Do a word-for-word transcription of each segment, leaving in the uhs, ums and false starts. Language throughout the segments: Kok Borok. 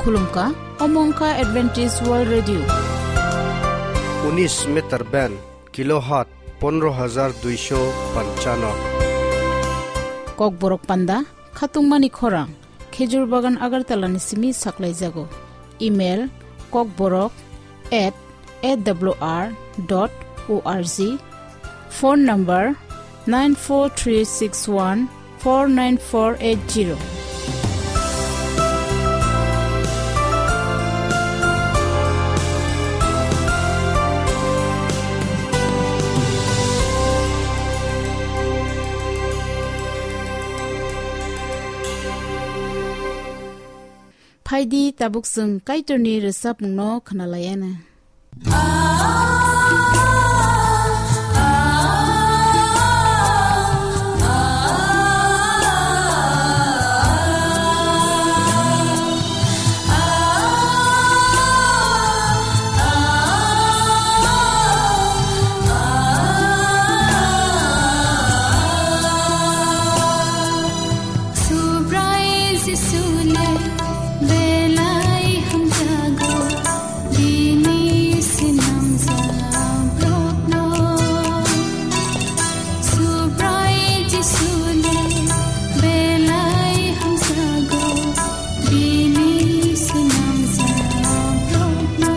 Khulumkha, omo wngkha Adventist World Radio. Unis meter band, kilohertz pondro hajar duisho panchano. Kokborok panda, khatungmani khorang, Khejur Bagan Agartala ni simi saklaijago. Email, kokborok at A W R dot O R G. Phone number nine four three six one four nine four eight zero. Phaidi tabuk chwng Kaitorni rwchapmungno khwnalaiana. Subrai Jisu le belai hamjago, bini sinamjak borokno. Subrai Jisu le belai hamjago, bini sinamjak borokno.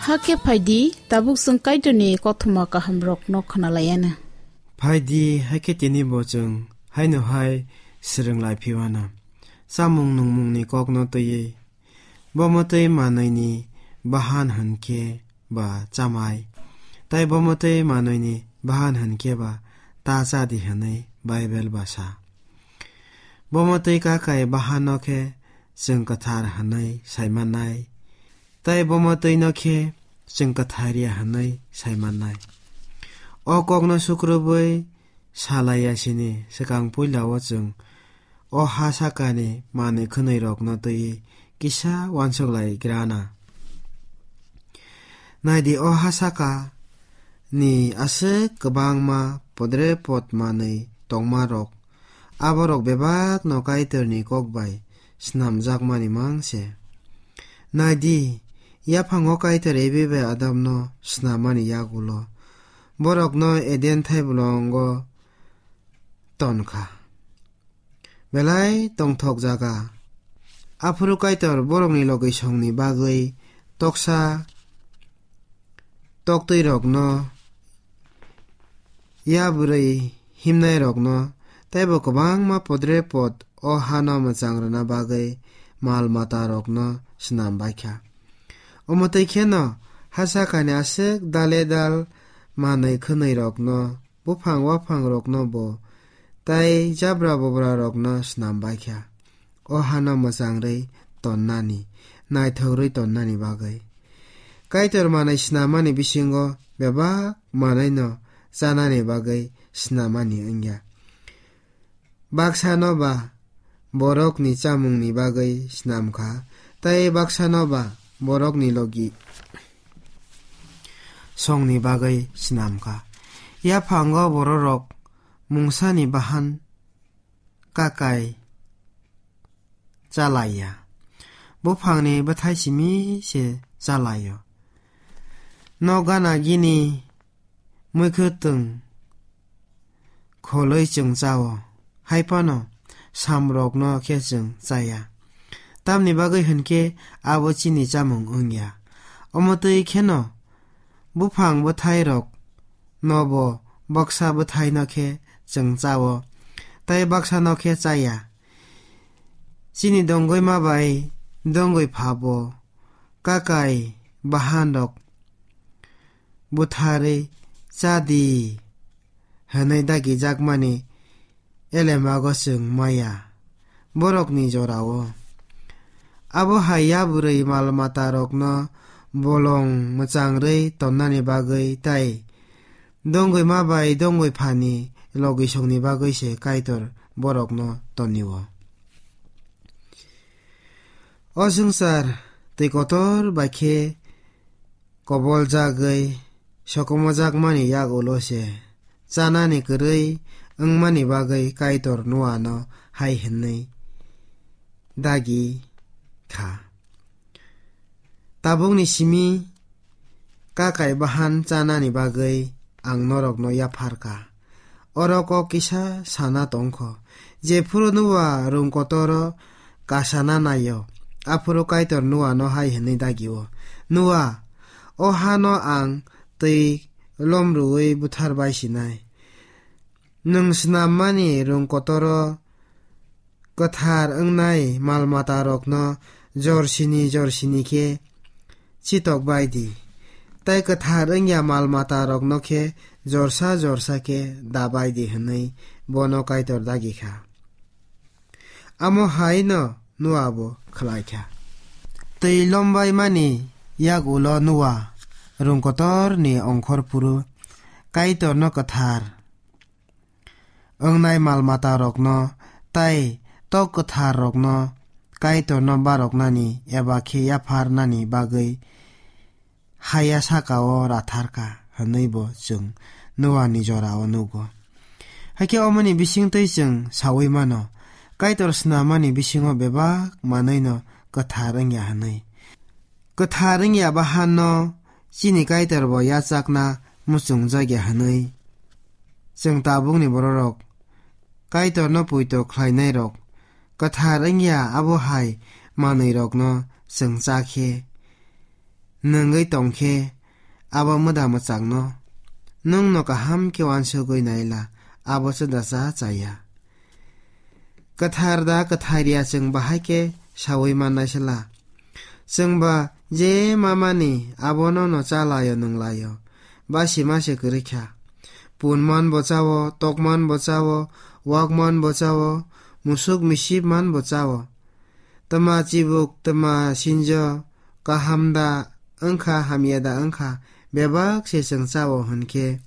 Hakhe phaidi, tabuk chwng Kaitorni kothoma kahamrokno khwnalaiana. Phaidi, hakhe tini bo chwng haino hai swrwng lai phiwana. Chamung nungmungni kokno twiwi, bo mwtwi manwini bahan hwn khe ba chamai, tei bo mwtwi manwini bahan hwn khe ba ta cha di hwnwi Bible ba sa. Bo mwtwi kakai bahanno khe chwng kwthar hwnwi sai mannai, tei bo mwtwino khe chwng kwthar ya hwnwi sai mannai. O kokno sukrubwi sa lai ya sini swkang puila o chwng o ha sakani manwi khwnwirokno twiwi kisa uansuk lai grana. Nai di, o ha saka ni aswk kwbangma podre pod manwi tongmarok, aborok bebakno Kaitorni kok bai snamjakmani mang se. Nai di, yaphango Kaitor Evi bai Adamno snamani yagulo borokno Eden thaibolongo ton kha. Belai tongthok jaga. Aphuru Kaitor borokni logisongni bagwi toksa toktwirokno, ya bwrwi himnairokno, tei bo kwbangma podre pod o hano mwchang rwna bagwi mal matarokno snam bai kha. Omo twi kheno ha sakani aswk dale dal manwi khwnwi rokno, buphang waphang rokno bo tei jabra bobra rokno snam bai kha. O hano mwchang rwi tonnani, naithok rwi tonnani bagwi. Kaitor manwi snamani bisingo bebak manwino chanani bagwi snamani wngya. Baksano ba borokni chamungni bagwi snam kha, tei baksano ba borokni logi songni bagwi snam kha. Yaphango bororok mungsani bahan kakai chalaiya. Buphangni bwthai simi se chalaio. No gana gini mwkhwtwng kholwi chwng chao, hai phano samrokno khe chwng chaya. Tamni bagwi hwn khe abo chini chamung wngya. Omo twi kheno buphang bwthairok nobo baksa bwthaino khe chwng chao, tei baksano khe chaya. Chini dongwi ma bai dongwi phabo kakai bahanrok butharwi cha di hwnwi dagijakmani elemago chwng maya borokni jorao. Abo hai yabrwi mal matarokno bolong mwchangrwi tonnani bagwi tei dongwi ma bai dongwi phani logisongni bagwi se Kaitor borokno tonio. O swngchar twi kotor bai khe koboljagwi sokomojakmani yagulo se chanani kwrwi wngmani bagwi Kaitor Noano hai hwnwi dagi kha: Tabukni simi kakai bahan chanani bagwi ang norokno yaphar kha. Oro kok kisa sana tong kho. Jephuru Noa rung kotoro kasana naio, aphuru Kaitor Noano hai hwnwi dagio: Noa, o hano ang twi lomrwui buthar bai sinai. Nwng snammani rung kotoro kwthar wngnai mal matarokno jorsini jorsini khe chitok bai di, tei kwthar wngya mal matarokno khe jorsa jorsa khe da bai di, hwnwi bono Kaitor dagi kha. Amo hai no Noa bo khlai kha. Twi lombai mani yak ulo Noa rung kotor ni ongkhor phuru Kaitor no kwthar wngnai mal mata rokno tei tok kwthar rokno Kaitor no baroknani eba khe yapharnani bagwi haya saka-o ratharkha hwnwi bo chwng Noani jora-o nugo. Hakhe omoni bisingtwi chwng saui mano, Kaitor snamani bisingo bebak manwino kwthar wngya hwnwi. Kwthar wngya bahanno chini Kaitor bo yachakna muchungjakya hwnwi chwng tabukni bororok Kaitorno poito khlainairok kwthar wngya abo hai manwirokno chwng cha khe, nwngwi tong khe, abo mwda mwchangno nwngno kaham khe uansugwi naila, abo chwda cha chaya. Kwthar da kwthar ya chwng bahai khe saui mannai sela. Chwng ba je mamani abono no chalaio nwnglaio, basi mase kwrwi kha. Punman bo chao, tokman bo chao, wakman bo chao, musuk misip man bo chao. Tma chibuk, tma sinjo, kaham da wngkha, hamya da wngkha, bebak se chwng chao hwn khe,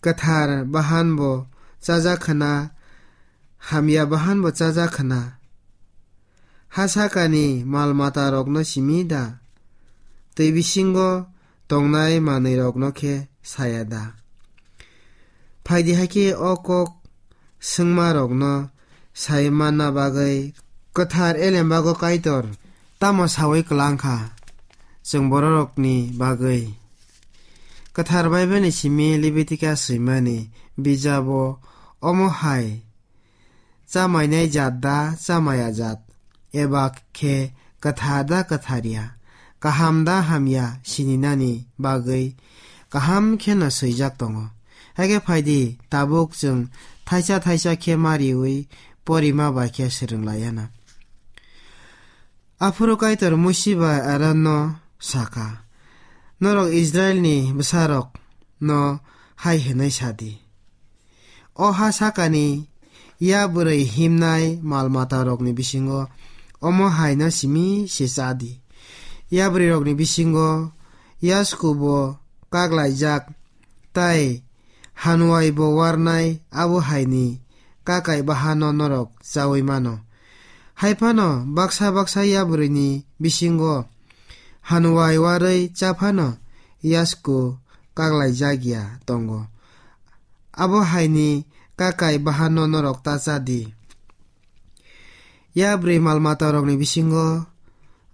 kwthar bahan bo chajak khna, hamya bahan bo chajak khna. Ha sakani mal mata rokno simi da? Twi bisingo tongnai manwi rokno khe saya da? Phaidi hakhe o kok swngma rokno sai manna bagwi kwthar elembago Kaitor tamo saui kwlang kha chwng bororokni bagwi. Kwthar Bible ni simi Leviticus swimani bijabo omo hai: Chamainai jat da chamaya jat, eba khe kwthar da kwthar ya, kaham da hamya sininani bagwi kaham kheno swijak tongo. Hakhe phaidi, tabuk chwng thaisa thaisa khe mariui porima bai khe swrwng lai anw. Aphuru Kaitor Musi bai Aronno saka, "Norok Israilni bwsarokno hai hwnwi sa di, 'O ha sakani yabrwi himnai mal-matarokni bisingo omo haino simi se cha di. Yabrwirokni bisingo yasku bo kaklaijak, tei hanuai bo warnai abo haini kakai bahano norok chaui mano. Hai phano baksa baksa yabrwini bisingo hanuai warwi cha phano yasku kaklaijak ya tongo. Abo haini kakai bahano norok ta cha di. Yabrwi mal-matarokni bisingo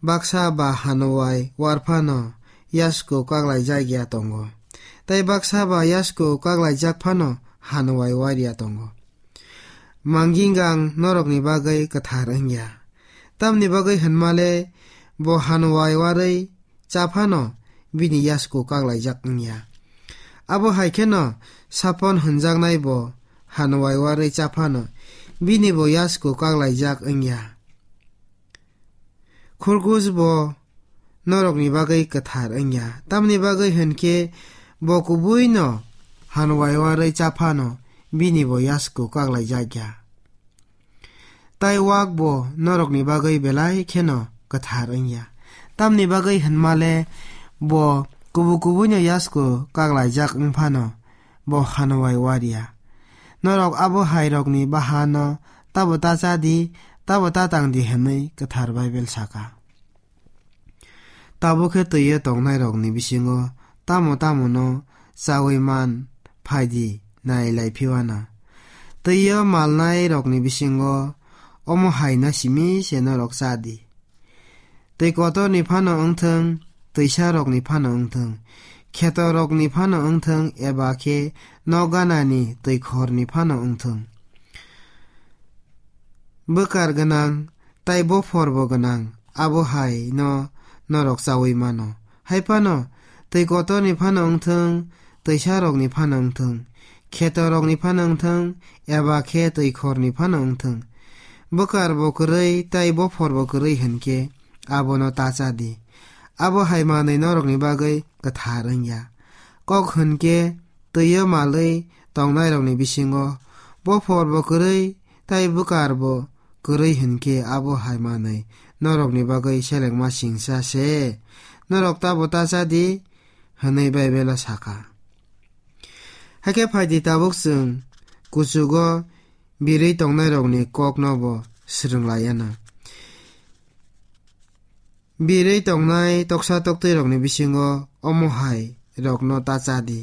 baksa ba hanuai war phano yasku kaklaijak ya tongo, tei baksa ba yasku kaklaijak phano hanuai war ya tongo. Mangingang norokni bagwi kwthar wng ya. Tamni bagwi hwnma le bo hanuai warwi cha phano bini yasku kaklaijak wng ya. Abo hai kheno sapon hwnjaknai bo hanuai warwi cha phano bini bo yasku kaklaijak wng ya. Khurgus bo norokni bagwi kwthar wng ya. Tamni bagwi hwn khe bo kubui no hanuai warwi cha phano bini bo yasku kaklaijak ya. Tai wak bo norokni bagwi belai kheno kwthar wng ya. Tamni bagwi hwnma le bo kubu kubuino yasku kaklaijak wng phano bo hanuai war ya. Norok abo hairokni bahano tabo ta cha di, tabo ta tang di hwnwi kwthar Baibel saka. Tabuk khe twi-o tongnairokni bisingo tamo tamo no chaui man phai di nai lai phiwana. Twi-o malnairokni bisingo omo hai no simi se norok cha di. Twi kotorni phano wng thung, twisarokni phano wng thung, khetorokni phano wng thung, eba khe nok ganani twi khorni phano wng thung. Bwkar gwnang tai bophor bo gwnang, abo hai no norok chaui mano. Hai phano twi kotorni phano wng thung, twisarokni phano wng thung, khetorokni phano wng thung, eba khe twi khorni phano wng thung. Bwkar bo kwrwi tai bophor bo kwrwi hwn khe abono ta cha di. Abo hai manwi norokni bagwi kwthar wng ya. Kok hwn khe twi-o malwi tongnairokni bisingo bophor bo kwrwi tai bwkar bo kwrwi hwn khe abo hai manwi norokni bagwi selengma singsa se. Norok tabo ta cha di, hwnwi Baibelo saka. Hakhe phai di, tabuk chwng kuchugo birwi tongnairokni kokno bo swrwng lai anw. Birwi tongnai toksa toktwirokni bisingo omo hai rokno ta cha di.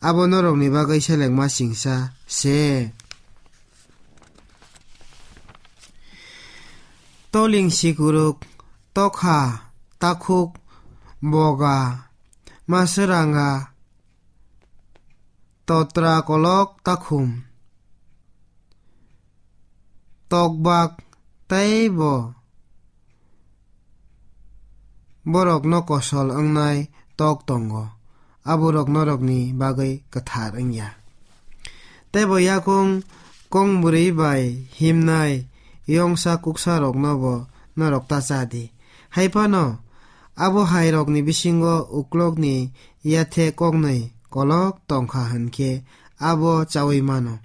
Abo norokni bagwi selengma singsa se. Toling sikuruk, tokha, takhuk, boga, maswranga, totra kolok takhum, tokbak tei bo borokno kosol wngnai tok tongo, aborok norokni bagwi kwthar wng ya. Tei bo yakung kong bwrwi bai himnai yongsa kuksarokno bo norok ta cha di. Hai phano abo hairokni bisingo uklokni yathe koknwi kolok tongkha hwn khe abo chaui mano.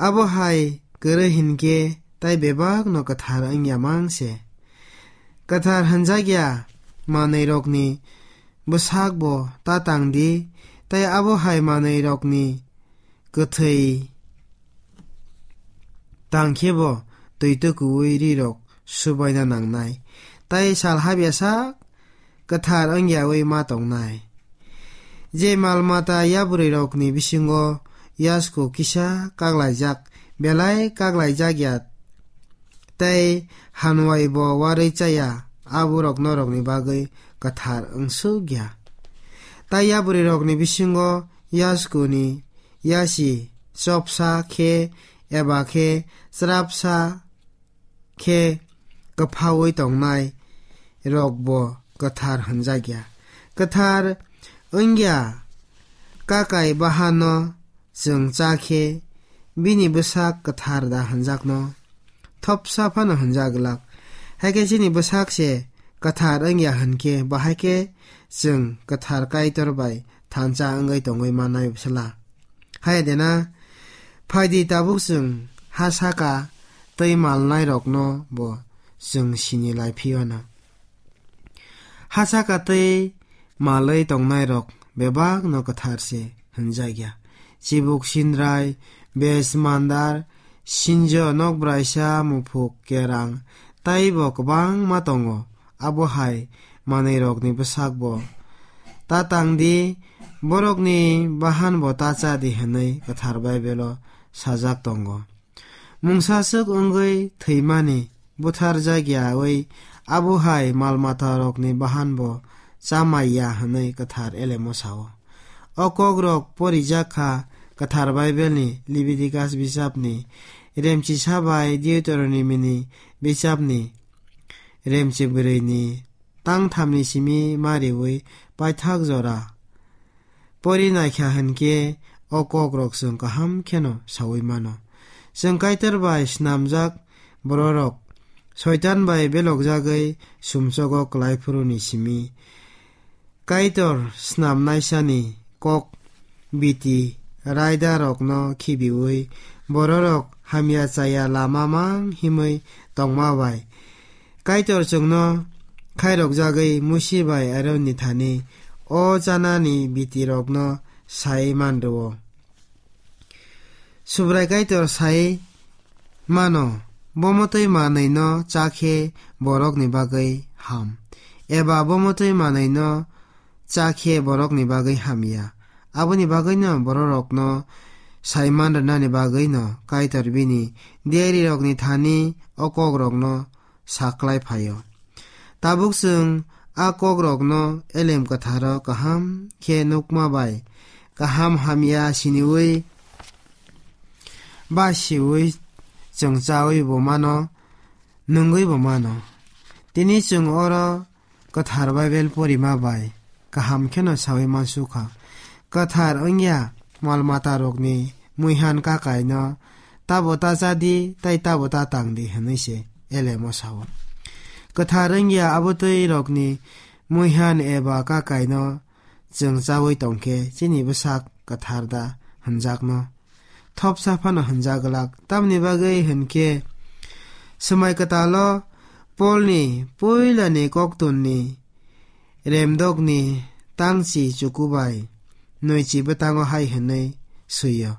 Abo hai kwrwi hwn khe tai bebak no kwthar wng ya mang se. Kwthar hwnjak ya manwi rokni bwsak bo ta tang di, tei abo hai manwi rokni kwthwi tang khe bo twi tukuwi ri rok subaina nangnai, tei sal habya sak kwthar wng yaui ma tongnai. Je mal mata yabrwi rokni bisingo yasku kisa kaklaijak, belai kaklaijak ya, tei hanwai bo warwi chaya, aborok norokni bagwi kwthar wng suk ya. Tai yabrwi rokni bisingo yasku ni yasi chopsa khe eba khe chwrapsa khe kwphaui tongnai rok bo kwthar hwnjak ya. Kwthar wng ya kakai bahano chwng cha khe bini bwsak kwthar da hwnjakno? Thopsa phano hwnjak glak. Hakhe chini bwsak se kwthar wngya hwnkhe, bahai khe chwng kwthar Kaitor bai thansa wngwi tongwi mannai bwsala. Hai de na, phaidi tabuk chwng ha saka tei malnairokno bo chwng sini lai phiyano. Ha saka tei malwi tongnairok bebakno kwthar se hwnjakya. Chibuk sindrai, bes mandar, sinjo, nokbraisa, muphuk, kerang, taibo kwbangma tongo. Abo hai manwirokni bwsakbo ta tang di, borokni bahanbo ta cha di hwnwi kwthar Baibelo sajak tongo. Mungsaswk wngwi thwimani, butharjakyawi abo hai mal-matarokni bahanbo chamaiya hwnwi kwthar Elemo sao. O kokrok porijak kha kwthar Baibelni Libitikas bichapni remchisa bai Deuteronomini bichapni remchibrwini tangthamni simi mariwi paithak jora pori naikha hwnkhe o kokrok chwng kaham kheno saui mano. Chwng Kaitor bai snamjak bororok Soitan bai belokjagwi sumsogo kwlaiphuruni simi Kaitor snamnaisani kok biti raidarokno khibiui bororok hamya chaya lama mang himwi tongma bai Kaitor chwngno khairokjagwi Musi bai Aronni thani o chanani bitirokno sai man rwo. Subrai Kaitor sai mano, bo mwtwi manwino cha khe borokni bagwi ham, eba bo mwtwi manwino cha khe borokni bagwi hamya. Aboni bagwino bororokno sai man rwnani bagwino Kaitor bini diyarirokni thani o kokrokno saklai phaio. Tabuk chwng a kokrokno Elem Kwtharo kaham khe nukma bai kaham hamya siniui ba siui chwng chaui bo mano, nungui bo mano. Tini chwng oro kwthar Baibel porima bai kaham kheno saui mansukha. Kwthar wngya mal matarokni muihan kakaino tabo ta cha di tei tabo ta tang di hwnwi se Elemo sao. Kwthar wngya abotwi rokni muihan eba kakaino chwng chaui tongkhe chini bwsak kwthar da hwnjakno? Thopsa phano hwnjak glak. Tamni bagwi hwnkhe, Swmai Kwtalo Polni puilani koktwmni remdokni tangchi chukubai nwichi bwtango hai hwnwi swi-o,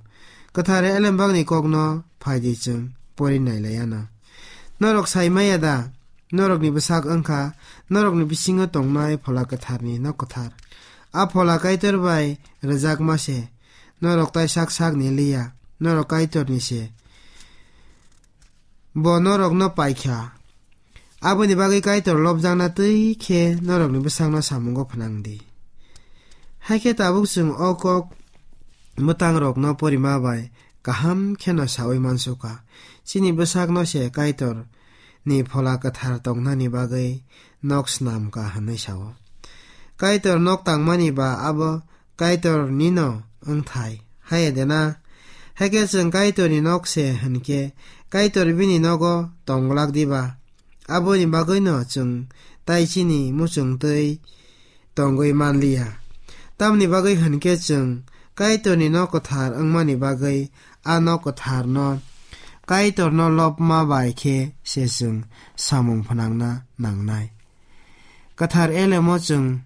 Kwthar Elembakni kokno phaidi chwng pori nailaiano. Norok sai maya da? Norokni bwsak wngkha norokni bisingo tongnai Phola Kwtharni nok kwthar. A Phola Kaitor bai rwjakma se. Norok tai sak sak ni liya, norok Kaitorni se. Bo norokno paikha. Aboni bagwi Kaitor lobjakna twi khe norokni bwsakno samungo phnang di. Hai khe tabuk chwng o kok mwtangrokno porima bai kaham kheno saui mansukha. Chini bwsakno se Kaitor ni Phola Kwthar tongnani bagwi nok snam ka hwnwi sao. Kaitor nok tangmani ba abo Kaitor nino wngthai, haiya de na? Hakhe chwng Kaitor ni nok se hwnkhe, Kaitor bini nogo tong glak diba? Aboni bagwino chwng tai chini muchungtwi tongwi manliya. Tamni bagwi hwnkhe chwng Kaitorni nok kwthar wngmani bagwi a nok kwtharno Kaitorno lobma bai khe se chwng samung phnangna nangnai. Kwthar Elemo chwng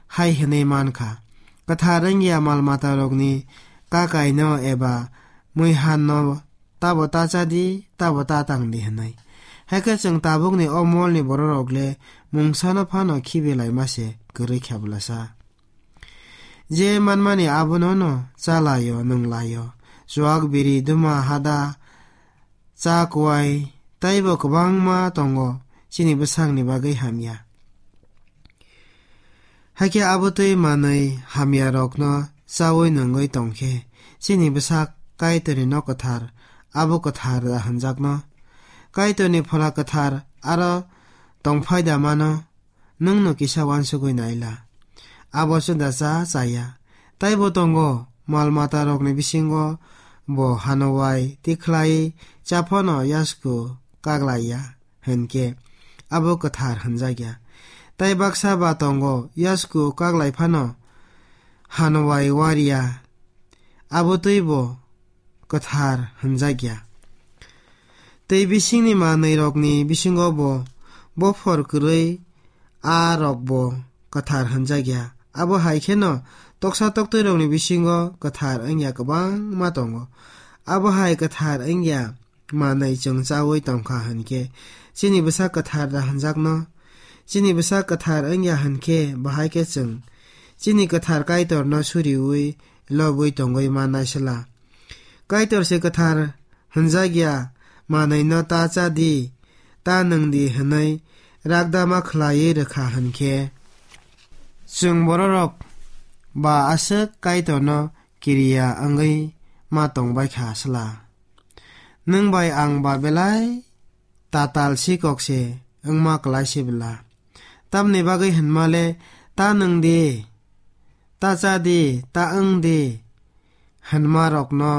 hai hwnwi mankha, kwthar wngya mal matarokni kakaino eba muihanno tabo ta cha di, tabo ta tang di hwnwi. Hakhe chwng tabukni o molni bororok le mungsano phano khibilaima se kwrwi kha bwlasa. Je manmani abono no cha lai-o, nung lai-o. Chuak, biri, duma, hada, cha, kuai, taibo kwbangma tongo chini bwsakni bagwi hamya. Hakhe abo twi manwi hamyarokno chaui nungwi tongkhe, chini bwsak Kaitorni nok kwthar, abo kwthar da hwnjakno? Kaitorni Phola Kwthar aro tongphai da mano? Nwngno kisa uansugwi naila. Abo chwngda cha chaya. Taibo tongo, mal matarokni bisingo bo hanowai tikhlai chaphano yasku kaglaiya hinkhe abo kwthar hwnjakya. Tai baksa ba tongo yasku kaglai phano hanowai wariya, abo twibo kwthar hwnjakya. Tei bisingni manwirokni bisingo bo bophor kwrwi a rokbo kwthar hwnjakya. Abo hai kheno toksa toktwirokni bisingo kwthar wngya kwbangma tongo. Abo hai kwthar wngya manwi chwng chaui tongkha hinkhe chini bwsa kwthar da hwnjakno? Chini bwsa kwthar wngya hinkhe bahai khe chwng chini kwthar Kaitorno suriui lobwi tongwi mannai sla. Kaitor se kwthar hwnjakya manwino ta cha di, ta nwng di hwnwi rakdama khlaiwi rwkha hinkhe, chwng bororok ba aswk Kaitorno kiriya wngwi ma tongbaikha sla. Nwng bai ang ba belai tatal sikok se wngma kwlai se bwla. Tamni bagwi hwnma le, ta nwng di, ta cha di, ta wng di hwnma rokno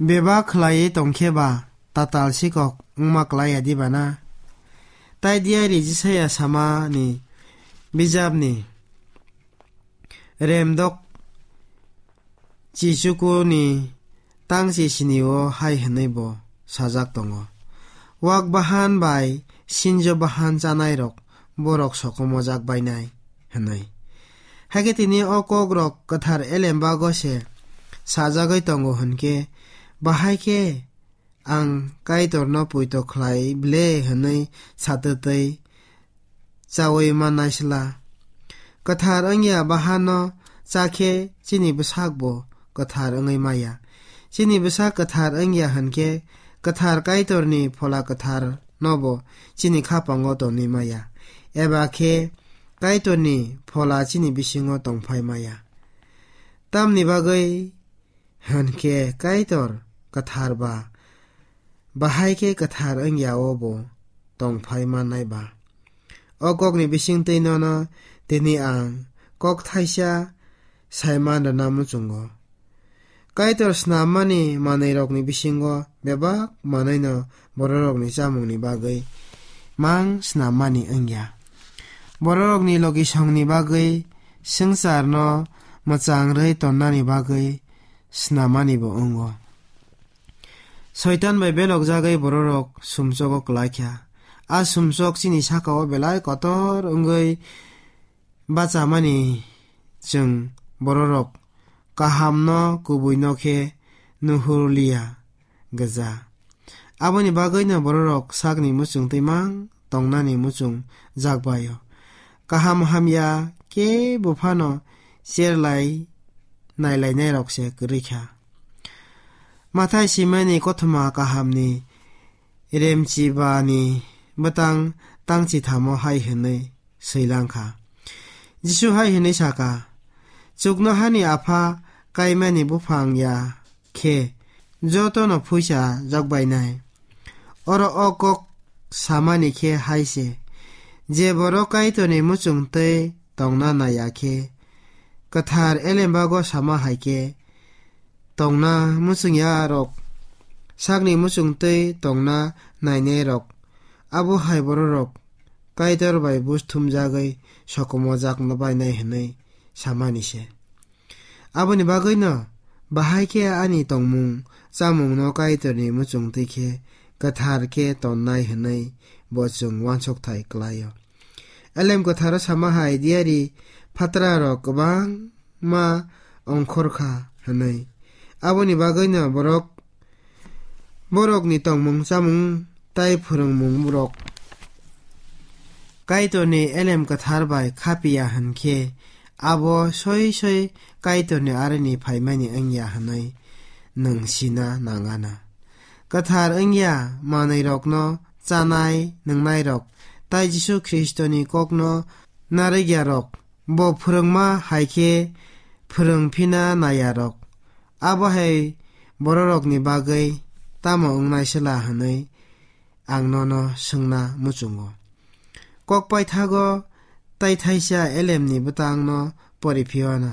bebak khlaiwi tongkhe ba tatal sikok wngma kwlai ya di bana? Tai diari Jisaya samani bijapni remdok chichukuni tangchi sinio hai hwnwi bo sajak tongo: Wak bahan bai sinjo bahan chanairok borok sokomojak bainai hwnwi. Hakhe tini o kokrok kwthar elembago se sajagwi tongo hwnkhe, bahai khe ang Kaitorno poito khlai ble hwnwi satwtwi chaui mannai sla. Kwthar wngya bahanno chakhe chini bwsakbo kwthar wngwi maya. Chini bwsak kwthar wngya hwnkhe kwthar Kaitorni Phola Kwthar nobo chini khapango tonwi maya, eba khe Kaitorni Phola chini bisingo tongphai maya. Tamni bagwi hwnkhe Kaitor kwthar ba, bahai khe kwthar wngya-o bo tongphai mannai ba. O kokni bisingtwi nono tini ang kok thaisa saiman rwna muchungo. Kaitor snammani manwirokni bisingo bebak manwino bororokni chamungni bagwi mang snammani wngya. Bororokni logisongni bagwi, swngcharno mwchang rwi tonnani bagwi snammanibo wngo. Soitan bai belokjagwi bororok sumsogo kwlaikha. A sumsok chini sakao belai kotor wngwi bachamani chwng bororok kahamno kubuino khe nuhurliya gwja. Aboni bagwino bororok sakni muchungtwi mang tongnani muchung jakbaio. Kaham hamya kebo phano cherlai nailainairokse kwrwi kha. Mathai simani kothoma kahamni remchibani bwtang tangchithamo hai hwnwi swilang kha. Jisu hai hwnwi sa kha, "Chuknohani Apha kaimani buphang ya khe jotono phuisa jokbainai." Oro o kok samani khe hai se, je borok Kaitorni muchung twi tongna naiya khe, kwthar elembago sama hai khe, tongna muchungya rok, sakni muchung twi tongna nainai rok, abo hai bororok Kaitor bai buj thumjagwi sokomojak bainai hwnwi samani se. Aboni bagwino bahai khe ani tongmung chamungno Kaitorni muchung twi khe kwthar khe tonnai hwnwi bo chwng uansukthai kwlaio. Elem kwtharo sama hai diari phatrarok kwbangma ongkhor kha hwnwi. Aboni bagwino borok, borokni tongmung chamung tai phwrwngmung borok Kaitorni elem kwthar bai khapiya hwn khe, abo soi soi Kaitorni aroni phaimani wngya hwnwi nwng sina nangana. Kwthar wngya manwirokno chanai nwngnairok tai Jisu Khristoni kokno narwkyarok, bo phwrwngma hai khe phwrwng phina naiyarok, abo hai bororokni bagwi tamo wngnai sela hwnwi ang nono swngna muchungo. Kok paithago tai thaisa elemni bwtangno pori phiyana.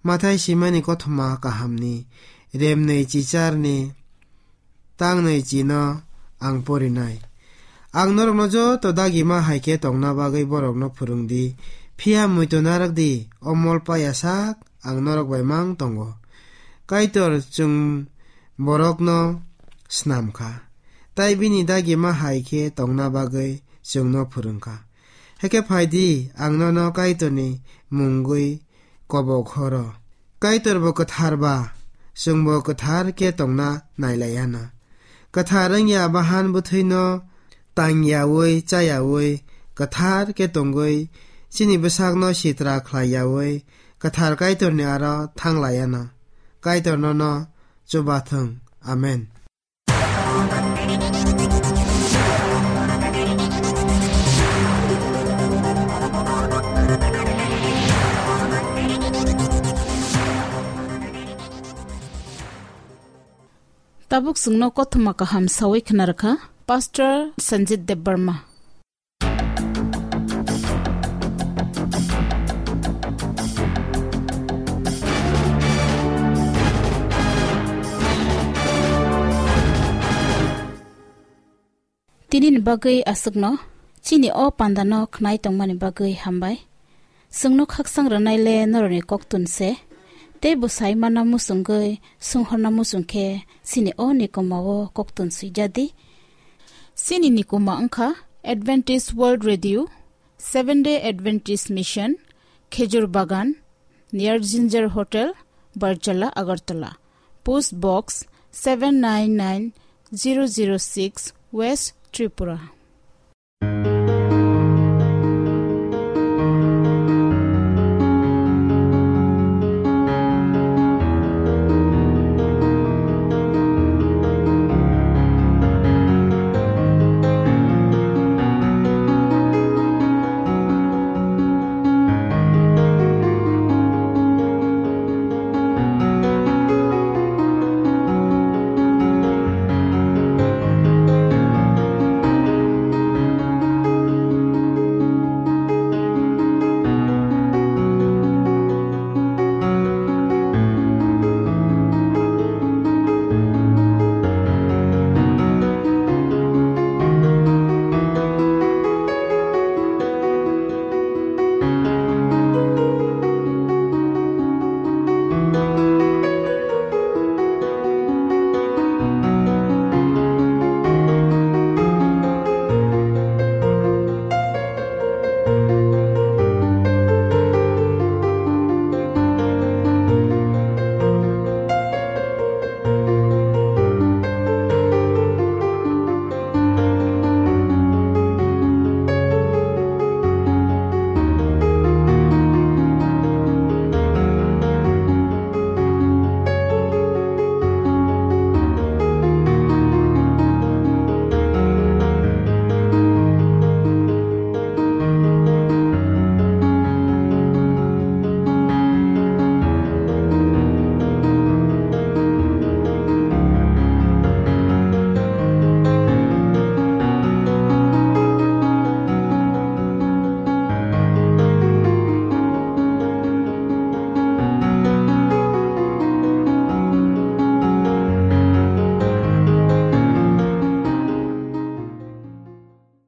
Mathai simani kothoma kahamni remnwi chicharni tangnwi chino ang porinai. Ang norokno joto dagima hai khe tongna bagwi borokno phwrwng di, phiya muitu narwk di, o mol paya sak ang norok bai mang tongo. Kaitor chwng borokno snam kha, tai bini dagima hai khe tongna bagwi chwngno phwrwng kha. Hakhe phai di, ang nono Kaitorni mungwi kobok horo. Kaitor bo kwthar ba, chwngbo kwthar khe tongna nailai ano. Kwthar wngya bahan bwthwino tang yaui, cha yaui, kwthar khe tongwi, chini bwsakno sitra khlai yaui, kwthar Kaitorni aro thang lai ano. Kaitor nono chuba thung. Amen. Tabuk chwngno kothoma kaham sawi khna rwkha Pastor Sanjit Debbarma. Tini ni bagwi aswkno, chini o pandano khnai tongmani bagwi hambai. Chwngno khaksang rwnai le norokni koktun se, tei bwsai mana muchungwi, swnghorna muchung khe chini o nikoma-o koktun swijadi. Chini nikoma wngkha Adventist World Radio, Seven Day Adventist Mission, Khejur Bagan, near Ginger Hotel, Barjala, Agartala. Post Box seven nine nine zero zero six, West Tripura.